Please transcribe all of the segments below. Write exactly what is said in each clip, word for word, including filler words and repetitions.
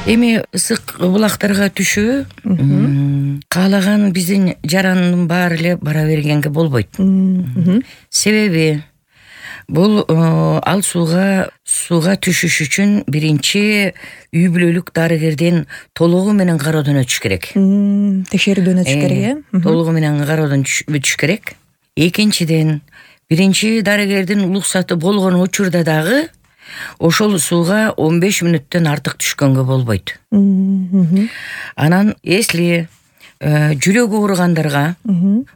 Эми ысык булактарга түшүү каалаган биздин жарандын баары эле бара бергенге болбойт. Себеби бул ал сууга сууга түшүш үчүн биринчи үй бүлөлүк дарыгерден толугу менен кароодон өтүш керек. Текшерүүдөн өтүш керек, э? Толугу менен кароодон өтүш керек. Экинчиден, биринчи дарыгердин уруксаты болгон учурда дагы ошол сууга он беш мүнөттөн артык түшкөнгө болбойт. Анан если жүрөгү ооругандарга,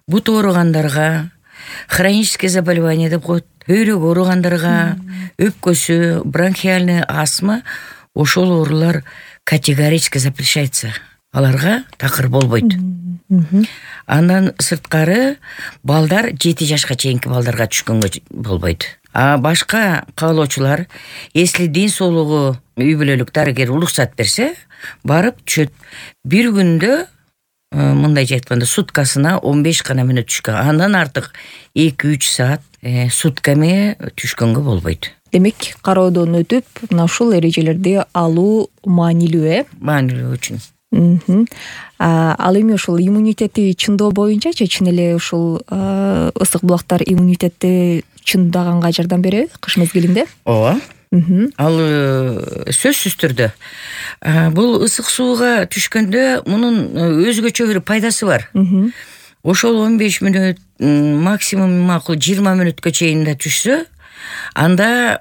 бут ооругандарга, хроническое заболевание деп коет, бөйрөк ооругандарга, өпкөсү, бронхиальный астма, ошол оорулар категорически запрещается. Аларга такыр болбойт. Андан сырткары балдар жети жашка чейинки балдарга түшкөнгө болбойт. А башка каалоочулар, если ден соолугу үй бүлөлүк дарыгер уруксат берсе, барып түшөт. Бир күндө мындайча айтканда суткасына он беш гана мүнөт түшкөн. Андан артык эки үч саат сутками түшкөнгө болбойт. Демек, кароодон өтүп, мына ушул эрежелерди алуу маанилүү, э? Маанилүү үчүн. Ал эми ушул иммунитетти чындоо боюнчачы, чын эле ушул ысык булактар иммунитетти чындаганга жардам береби кыш мезгилинде? Ооба. Ал сөзсүз түрдө. Бул ысык сууга түшкөндө мунун өзгөчө бир пайдасы бар. Ошол он беш мүнөт, максимум макул жыйырма мүнөткө чейин да түшсө, анда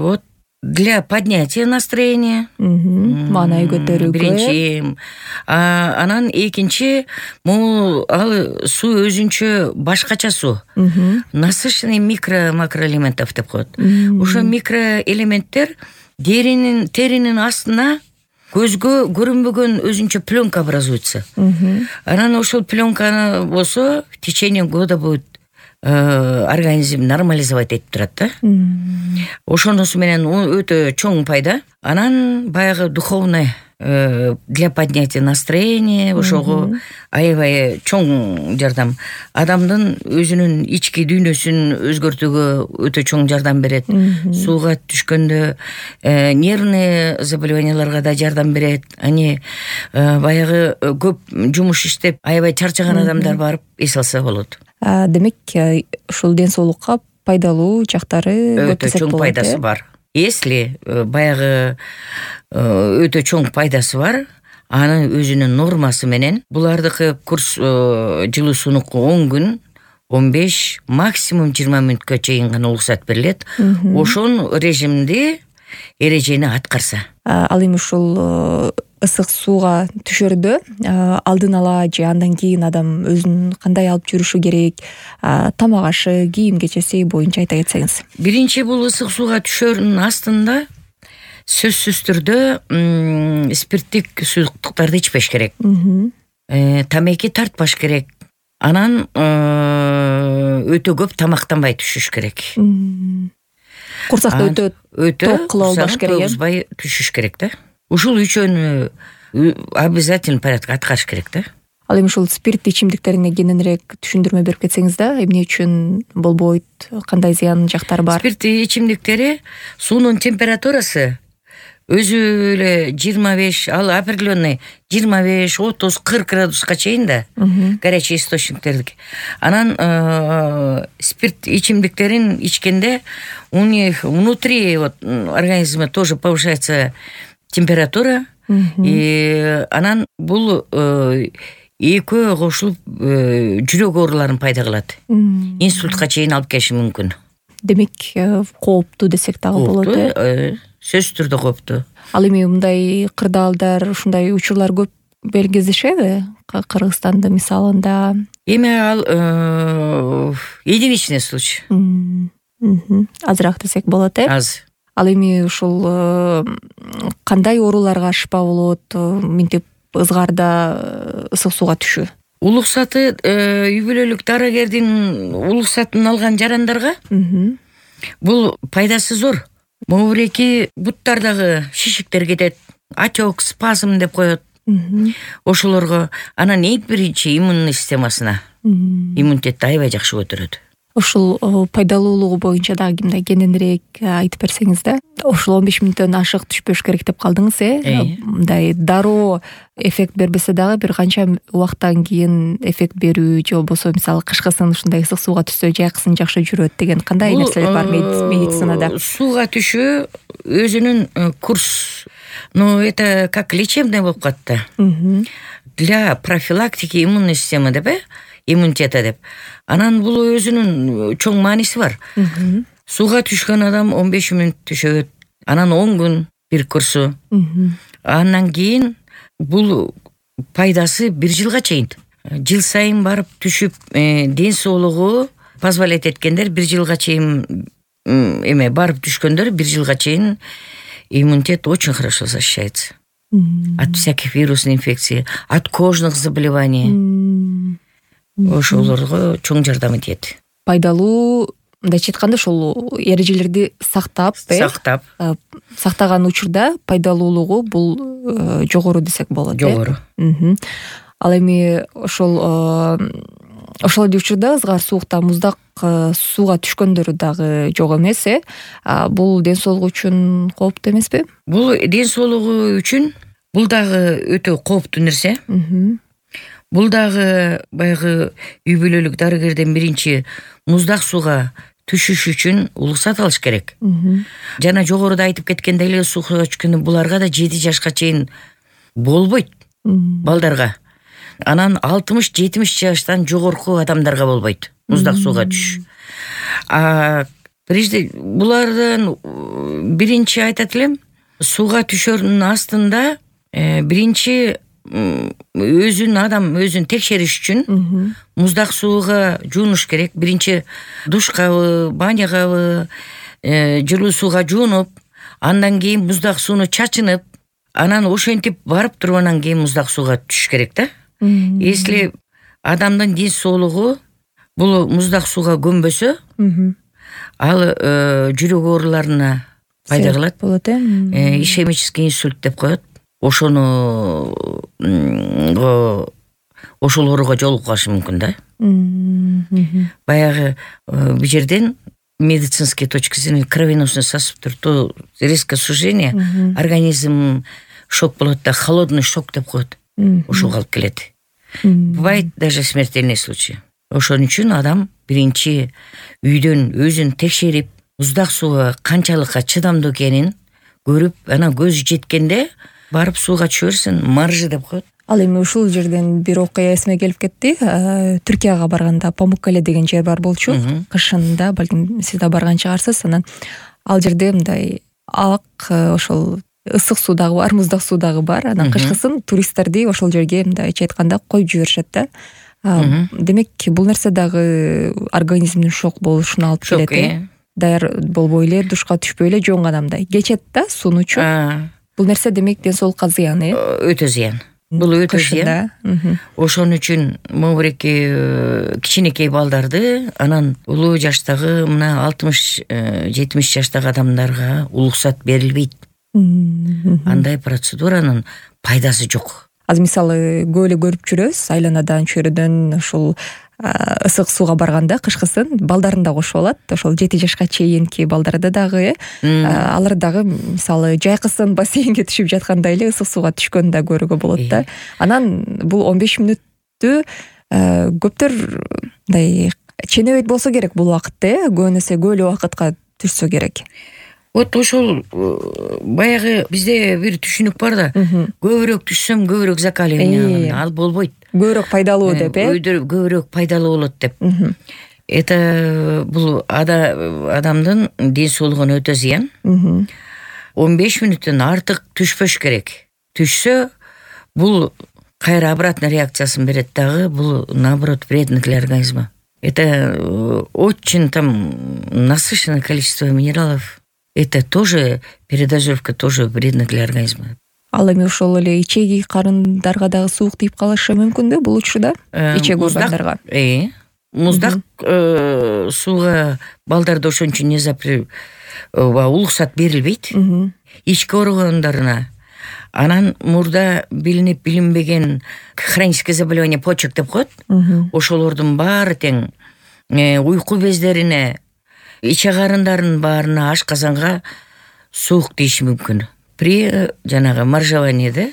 вот для поднятия настроения, маанай көтөрүүгө. Биринчи, анан экинчи, могу ал суу өзүнчө башкача суу. Насыщенный микро-макроэлементов деп коет. Ошо микроэлементтер деринин, теринин астына көзгө көрүнбөгөн өзүнчө пленка образуется. Анан ошол пленканы болсо в течение года будет организм нормализовать этип турат да. Ошонусу менен өтө чоң пайда. Анан баягы духовный для поднятия настроения, ошого аябай чоң жардам. Адамдын өзүнүн ички дүйнөсүн өзгөртүүгө өтө чоң жардам берет. Сууга түшкөндө нервный заболеванияларга да жардам берет. Ани баягы көп жумуш иштеп аябай чарчаган адамдар барып эс алса болот. Демек, ушул ден соолукка пайдалуу жактары өтө чоң пайдасы бар. Если баягы өтө чоң пайдасы бар, анын өзүнүн нормасы менен булардыкы курс жылуу сунук он күн, он беш, максимум жыйырма мүнөткө чейин гана уруксат берилет. Ошон режимди, эрежени аткарса. Ал эми ушул ысык сууга түшөрдө алдын ала же андан кийин адам өзүн кандай алып жүрүшү керек, тамак ашы, кийим кечеси боюнча айта кетсеңиз. Биринчи, бул ысык сууга түшөрүнүн астында сөзсүз түрдө спирттик суюктуктарды ичпеш керек. Тамеки тартпаш керек. Анан өтө көп тамактанбай түшүш керек. Курсакты өтө ток кылып албаш керек. Токузбай түшүш керек да. Ушул үчөөнү обязательно порядка аткарыш керек да. Ал эми ушул спирт ичимдиктерине кененирээк түшүндүрмө берип кетсеңиз да, эмне үчүн болбойт, кандай зыян жактары бар? Спирт ичимдиктери суунун температурасы өзү эле жыйырма беш, ал определенный жыйырма беш, отуз, кырк градуска чейин да, горячий источниктердики. Анан спирт ичимдиктерин ичкенде у них внутри вот организма тоже повышается температура, и анан бул экөө кошулуп жүрөк ооруларын пайда кылат. Инсультка чейин алып келиши мүмкүн. Демек, кооптуу десек дагы болот, э? Сөзсүз түрдө кооптуу. Ал эми мындай кырдаалдар, ушундай учурлар көп белгизишеби? Кыргызстанда мисалында. Эми ал единичный случай. Азыраак десек болот, э? Аз. Ал эми ушул кандай ооруларга шыпа болот, минтип ызгарда ысык сууга түшүү? Улуксаты үй бүлөлүк дарыгердин улуксатын алган жарандарга бул пайдасы зор. Могуреки буттардагы шишиктер кетет, отек, спазм деп коет. Ошолорго анан эң биринчи иммунный системасына иммунитетти аябай жакшы көтөрөт. Ушул пайдалуулугу боюнча дагы кимде кененирээк айтып берсеңиз да. Ушул он беш мүнөттөн ашык түшпөш керек деп калдыңыз, э? Мындай дароо эффект бербесе дагы бир канча убакыттан кийин эффект берүү же болбосо мисалы кышкысын ушундай ысык сууга түшсө жайкысын жакшы жүрөт деген кандай нерселер бар медицинада? Сууга түшүү өзүнүн курс, ну это как лечебный болуп калат да. Для профилактики иммунной системы деп, э? Иммунитета деп. Анан бул өзүнүн чоң мааниси бар. Сууга түшкөн адам он беш мүнөт түшөт. Анан он күн бир курсу. Андан кийин бул пайдасы бир жылга чейин. Жыл сайын барып түшүп, ден соолугу позволять эткендер бир жылга чейин эме барып түшкөндөр бир жылга чейин иммунитет очень хорошо защищается. От всяких вирусных инфекций, от кожных заболеваний. Ошолорго чоң жардам этет. Пайдалуу мындайча айтканда ошол эрежелерди сактап, сактап, сактаган учурда пайдалуулугу бул жогору десек болот. Жогору. Ал эми ошол ошол эле учурда ызгар суукта муздак сууга түшкөндөрү дагы жок эмес, э? Бул ден соолук үчүн кооптуу эмеспи? Бул ден соолугу үчүн бул дагы өтө кооптуу нерсе. Бул дагы баягы үй бүлөлүк дарыгерден биринчи муздак сууга түшүш үчүн уруксат алыш керек. Жана жогоруда айтып кеткендей эле сууга түшкөндө буларга да жети жашка чейин болбойт балдарга. Анан алтымыш жетимиш жаштан жогорку адамдарга болбойт муздак сууга түшүш. А прежде булардан биринчи айтат элем, сууга түшөрүнүн астында биринчи өзүн адам өзүн текшериш үчүн муздак сууга жуунуш керек. Биринчи душкабы, банягабы, жылуу сууга жуунуп, андан кийин муздак сууну чачынып, анан ошентип барып туруп анан кийин муздак сууга түшүш керек да. Если адамдын ден соолугу бул муздак сууга көнбөсө, ал жүрөк ооруларына пайда кылат. Болот, э? Ишемический инсульт деп коет. Ошону ошол ооруга жолугуп калышы мүмкүн да. Баягы бул жерден медицинский точки зрения кровеносный сосудтар то резкое сужение, организм шок болот да, холодный шок деп коет. Ошого алып келет. Бывает даже смертельный случай. Ошон үчүн адам биринчи үйдөн өзүн текшерип, муздак сууга канчалыкка чыдамдуу экенин көрүп, анан көзү жеткенде барып сууга түшөрсүн, маржы деп коет. Ал эми ушул жерден бир окуя эсиме келип кетти. Түркияга барганда Памуккале деген жер бар болчу. Кышында, балким сиз да барган чыгарсыз. Анан ал жерде мындай ак ошол ысык суу дагы бар, муздак суу дагы бар. Анан кышкысын туристтерди ошол жерге мындайча айтканда коюп жиберишет да. Демек, бул нерсе дагы организмдин шок болушуна алып келет, э? Даяр болбой эле, душка түшпөй эле жоңгадамдай кечет да суунучу. Бул нерсе демек ден соолукка зыян, э? Өтө зыян. Бул өтө зыян. Ошон үчүн могуреки кичинекей балдарды, анан улуу жаштагы мына алтымыш жетимиш жаштагы адамдарга уруксат берилбейт. Андай процедуранын пайдасы жок. Азыр мисалы көп эле көрүп жүрөбүз, айланадан, чөйрөдөн ушул ысык сууга барганда кышкысын балдарын да кошуп алат. Ошол жети жашка чейинки балдарды дагы, алар дагы мисалы жайкысын бассейнге түшүп жаткандай эле ысык сууга түшкөнүн да көрүүгө болот да. Анан бул он беш мүнөттү көптөр мындай ченебейт болсо керек бул убакытта, э? Көбүнесе көп эле убакытка түшсө керек. Вот ошол баягы бизде бир түшүнүк бар да, көбүрөөк түшсөм көбүрөөк закаливание, ал болбойт. Көбүрөөк пайдалуу деп, э? Көбүрөөк пайдалуу болот деп. Это бул адамдын ден соолугуна өтө зыян. он беш мүнөттөн артык түшпөш керек. Түшсө, бул кайра обратный реакциясын берет дагы, бул наоборот вредно для организма. Это очень там насыщенное количество минералов. Это тоже передозировка, тоже вредно для организма. Ал эми ошол эле ичеги карындарга дагы суук тийип калышы мүмкүн да бул учурда? Ичеги органдарга. Э, муздак сууга балдарды ошон үчүн не запрет, уруксат берилбейт. Ички органдарына. Анан мурда билинип билинбеген хроническое заболевание почек деп коет. Ошолордун баары тең уйку бездерине, ич агарындардын баарына, ашказанга суук тийиши мүмкүн при жанагы моржеваниеде.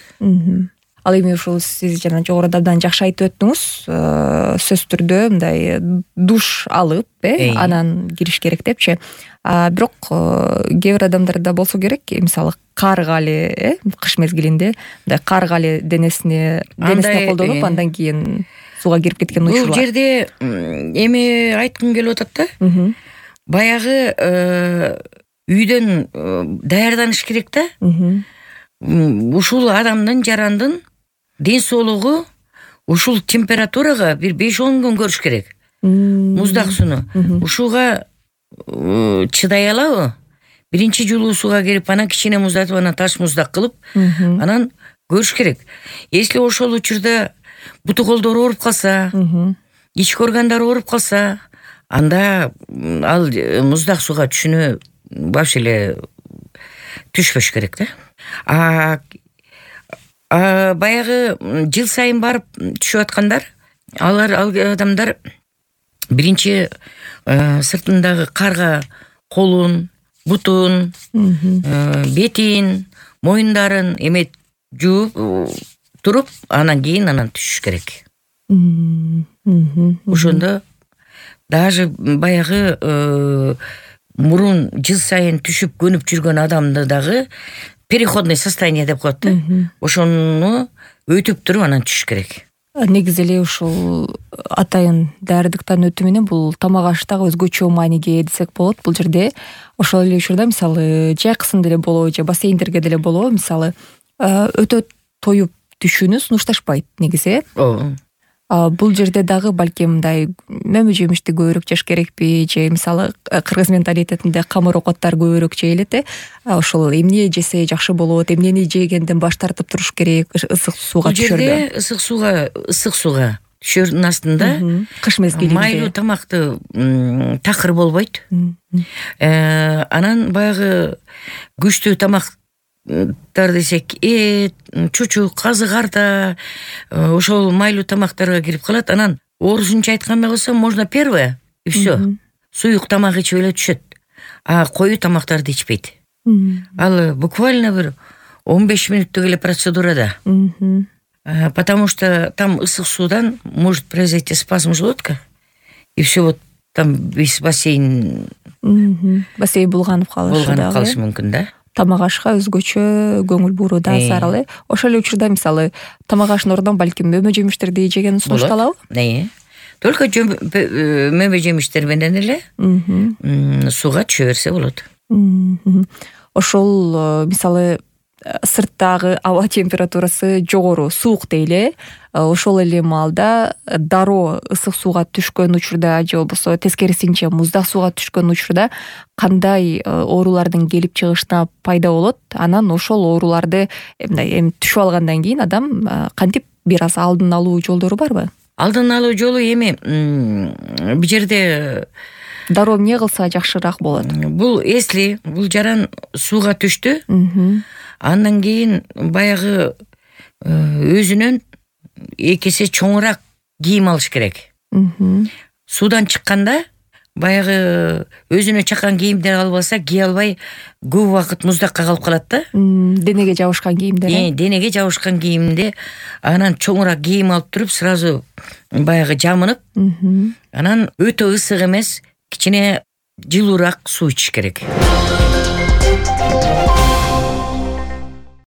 Ал эми ушул сиз жана жогоруда абдан жакшы айтып өттүңүз. Сөзсүз түрдө мындай душ алып, э, анан кириш керек депчи. Бирок кээ бир адамдарда болсо керек, мисалы кар кали, э, кыш мезгилинде мындай кар кали денесине денесине колдонуп, андан кийин сууга кирип кеткен учурлар. Бул жерде эми айткым келип атат да. Баягы үйдөн даярданыш керек да. Ушул адамдын, жарандын ден соолугу ушул температурага бир беш он күн көрүш керек. Муздак сууну. Ушуга чыдай алабы? Биринчи жолу сууга кирип, анан кичине муздатып, анан таш муздак кылып, анан көрүш керек. Если ошол учурда буту колдору ооруп калса, ички органдары ооруп калса, анда ал муздак сууга түшүнө вообще эле түшпөш керек да. А баягы жыл сайын барып түшүп аткандар, алар ал адамдар биринчи сыртындагы карга колун, бутун, бетин, моюндарын эме жууп туруп, анан кийин анан түшүш керек. Ошондо даже баягы мурун жыл сайын түшүп көнүп жүргөн адамды дагы переходный состояние деп коет да. Ошону өтүп туруп анан түшүш керек. Негизи эле ушул атайын даярдыктан өтүү менен бул тамак аш дагы өзгөчө мааниге десек болот. Бул жерде ошол эле учурда мисалы жайкысында эле болобу же бассейндерге деле болобу, мисалы өтө тоюп түшүүнү сунушташпайт негизи. Ооба. Бул жерде дагы балким мындай мөмө жемишти көбүрөөк жеш керекпи, же мисалы кыргыз менталитетинде камыр окоттор көбүрөөк жейилет, э. Ошол эмне жесе жакшы болот, эмнени жегенден баш тартып туруш керек ысык сууга түшөрдө? Бул жерде ысык сууга, ысык сууга түшөрдүн астында кыш мезгилинде майлуу тамакты такыр болбойт. Анан баягы күчтүү тамак десек, эт, чучук, казы, карта, ошол майлуу тамактарга кирип калат. Анан орусунча айтканда болсо, можно первое и все. Суюк тамак ичип эле түшөт. А коюу тамактарды ичпейт. Ал буквально бир он беш мүнөттүк эле процедура да. Потому что там ысык суудан может произойти спазм желудка. И все вот там весь бассейн бассейн булганып калышы да. Булганып калышы мүмкүн да. Тамак ашка өзгөчө көңүл буруу да зарыл, э. Ошол эле учурда мисалы тамак аштын ордуна балким мөмө жемиштерди жеген сунушталабы? Э. Только мөмө жемиштер менен эле сууга түшө берсе болот. Ошол мисалы сырттагы аба температурасы жогору, суук дейли. Ошол эле маалда дароо ысык сууга түшкөн учурда же болбосо тескерисинче муздак сууга түшкөн учурда кандай оорулардын келип чыгышына пайда болот? Анан ошол ооруларды мындай эми түшүп алгандан кийин адам кантип бир аз алдын алуу жолдору барбы? Алдын алуу жолу эми бул жерде дароо эмне кылса жакшыраак болот? Бул если бул жаран сууга түштү, андан кийин баягы өзүнөн эки эсе чоңураак кийим алыш керек. Суудан чыкканда баягы өзүнө чаккан кийимдер албаса, кие албай көп убакыт муздакка калып калат да. Денеге жабышкан кийимдер. Э, денеге жабышкан кийимде анан чоңураак кийим алып туруп, сразу баягы жамынып, анан өтө ысык эмес, кичине жылуураак суу ичиш керек.